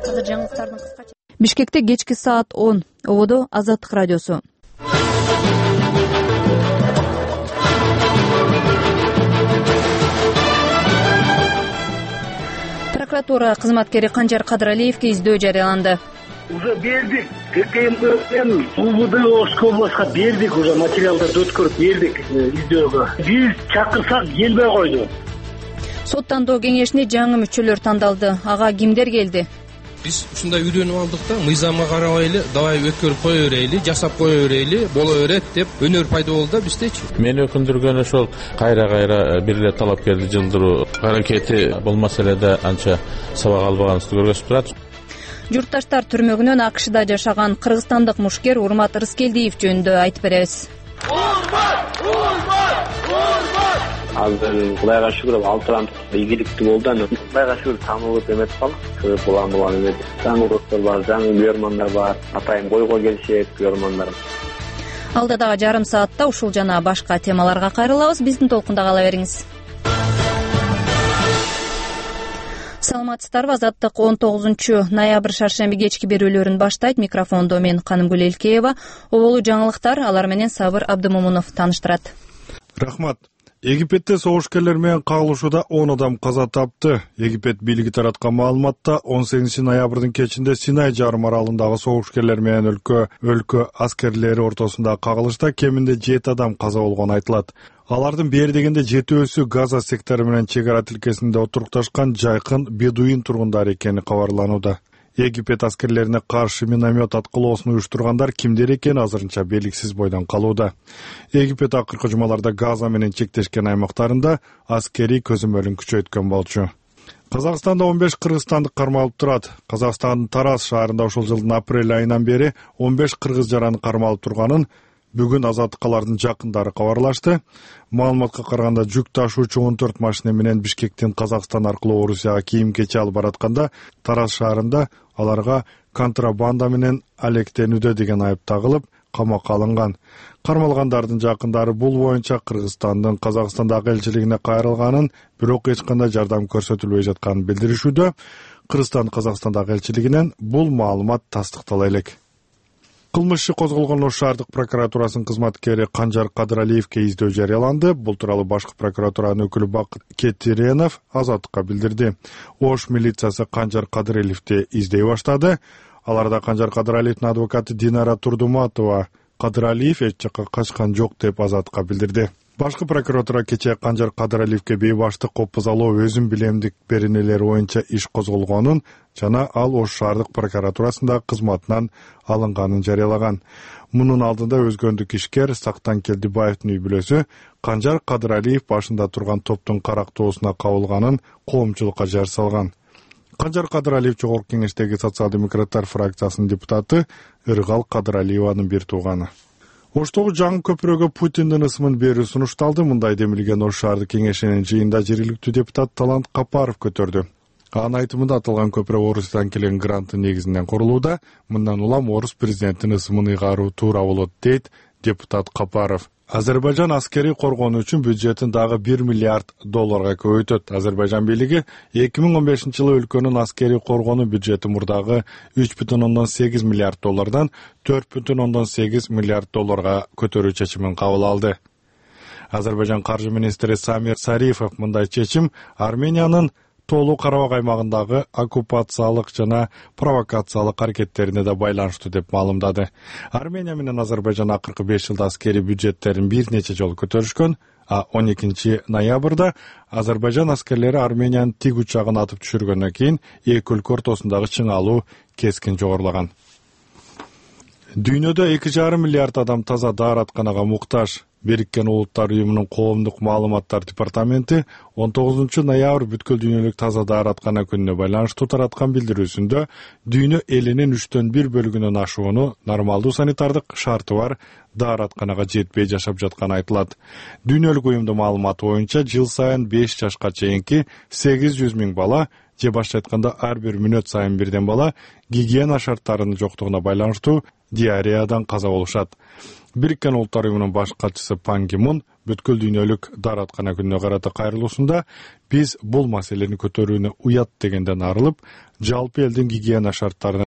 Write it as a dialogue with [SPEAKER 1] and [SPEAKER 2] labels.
[SPEAKER 1] Азыр жаңылыктардын кыскача. Бишкекте кечки саат 10. Ободо Азаттык радиосу. Прокуратура кызматкери Канжар Кадыралиевге издөө жарыяланды.
[SPEAKER 2] Уже бердик. ККМ УВД Ошко областка бердик, уже материалдарды өткөрүп бердик издөөгө. Биз чакырсак келбей койду.
[SPEAKER 1] Сот тандоо кеңешине жаңы мүчөлөр тандалды. Ага кимдер келди?
[SPEAKER 3] Биз ушундай үйрөнүп алдык да, мыйзамга карабай эле давай өткөрүп кое берели, жасап кое берели, боло берет деп өнөр пайда болду да биздечи.
[SPEAKER 4] Мени өкүндүргөн ошол кайра бир эле талапкерди жылдыруу аракети бул маселеде анча сабак албаганыбызды көргөзүп турат.
[SPEAKER 1] Журтташтар түрмөгүнөн АКШда жашаган кыргызстандык мушкер Урмат Рыскелдиев жөнүндө айтып беребиз.
[SPEAKER 5] Азыр Кудайга шүгүр 6 ай ийгиликтүү болду. Аны Кудайга шүгүр таанылып эметип калдык. Булан эмес. Жаңы достор бар, жаңы көрмандар бар. Атайын бойго келишет көрмандар.
[SPEAKER 1] Алда дагы жарым саатта ушул жана башка темаларга кайрылабыз. Биздин толкунда кала бериңиз. Саламатсыздарбы? Азаттык 19 шаршемби кечки берүүлөрүн баштайт. Микрофондо мен Канымгүл Элкеева. Оболу жаңылыктар, алар менен Сабыр Абдымомунов тааныштырат.
[SPEAKER 6] Рахмат. Египетте согушкерлер менен кагылышууда 10 адам каза тапты. Египет бийлиги тараткан маалыматта 18 ноябрдын кечинде Синай жарым аралындагы согушкерлер менен өлкө аскерлери ортосундагы кагылышта кеминде 7 адам каза болгону айтылат. Алардын бери дегенде 7-өсү Газа сектору менен чек ара тилкесинде отурукташкан жайкын бедуин тургундары экени кабарланууда. Египет аскерлерине каршы миномет аткылоосун уюштургандар кимдер экени азырынча белгисиз бойдон калууда. Египет акыркы жумаларда Газа менен чектешкен аймактарында аскерий көзөмөлүн күчөйткөн болчу. Казакстанда 15 кыргызстандык кармалып турат. Казакстандын Тараз шаарында ушул жылдын апрель айынан бери 15 кыргыз жараны кармалып турганын бүгүн азаттыкалардын жакындары кабарлашты. Маалыматка караганда жүк ташуучу 14 машина менен Бишкектен Казакстан аркылуу Орусияга кийим-кечи алып баратканда Тараз шаарында аларга контрабанда менен алектенүүдө деген айып тагылып, камакка алынган. Кармалгандардын жакындары бул боюнча Кыргызстандын Казакстандагы элчилигине кайрылганын, бирок эч кандай жардам көрсөтүлбөй жатканын билдиришүүдө. Кыргызстан Казакстандагы элчилигинен бул маалымат тастыктала элек. Кылмыш иши козголгон Ош шаардык прокуратурасынын кызматкери Канжар Кадыралиевге издөө жарыяланды. Бул тууралуу башкы прокуратуранын өкүлү Бакыт Кетиренов Азаттыкка билдирди. Ош милициясы Канжар Кадыралиевди издей баштады. Аларда Канжар Кадыралиевдин адвокаты Динара Турдуматова Кадыралиев эч жакка качкан жок деп Азаттыкка билдирди. Башкы прокуратура кечээ Канжар Кадыралиевге бейбаштык копузалоо өзүн билемдик беренелери боюнча иш козголгонун жана ал Ош шаардык прокуратурасында кызматынан алынганын жарыялаган. Мунун алдында өзгөндүк ишкер Сактан Келдибаевдин үй бүлөсү Канжар Кадыралиев башында турган топтун карактоосуна кабылганын коомчулукка жар салган. Канжар Кадыралиев Жогорку кеңештеги социал-демократтар фракциясынын депутаты Ыргал Кадыралиеванын бир тууганы. Оштогу жаңы көпүрөгө Путиндин ысымын берүү сунушталды. Мындай демилген Ош шаардык кеңешинин жыйында жергиликтүү депутат Талант Капаров көтөрдү. Анын айтымында аталган көпүрө Орусиядан келген гранттын негизинен курулууда. Мындан улам Орус президентинин ысымын ыйгаруу туура болот, дейт депутат Капаров. Азербайжан аскери коргонуу үчүн бюджетин дагы $1 миллиард көбөйтөт. Азербайжан бийлиги 2015-жылы өлкөнүн аскери коргонуу бюджети мурдагы $3,8 миллиард $4,8 миллиард көтөрүү чечимин кабыл алды. Азербайжан каржы министри Самир Сарифов мындай чечим Армениянын Тоолуу Карабак аймагындагы оккупациялык жана провокациялык аракеттерине да байланыштуу деп маалымдады. Армения менен Азербайжан акыркы 5 жылда аскери бюджеттерин бир нече жолу көтөрүшкөн, а 12 ноябрда Азербайжан аскерлери Армениянын тиг учагын атып түшүргөндөн кийин эки өлкө ортосундагы чыңалуу кескин жогорулаган. Дүйнөдө 2,5 миллиард адам таза дааратканага муктаж. Бириккен Улуттар уюмунун коомдук маалыматтар департаменти 19 ноябрь бүткүл дүйнөлүк таза даараткана күнүнө байланыштуу тараткан билдирүүсүндө дүйнө элинин 1/3 бөлүгүнөн ашууну нормалдуу санитардык шарты бар дааратканага жетпей жашап жатканы айтылат. Дүйнөлүк уюмдун маалыматы боюнча жыл сайын 5 жашка чейинки 800 000 бала, же башка айтканда ар бир мүнөт сайын бирден бала гигиена шарттарынын жоктугуна байланыштуу диареядан каза болушат. Бириккен Улуттар уюмунун баш катчысы Пан Ги Мун бүткүл дүйнөлүк даараткана күнүнө карата кайрылуусунда биз бул маселени көтөрүүнү уят дегенден арылып, жалпы элдин гигиена шарттарына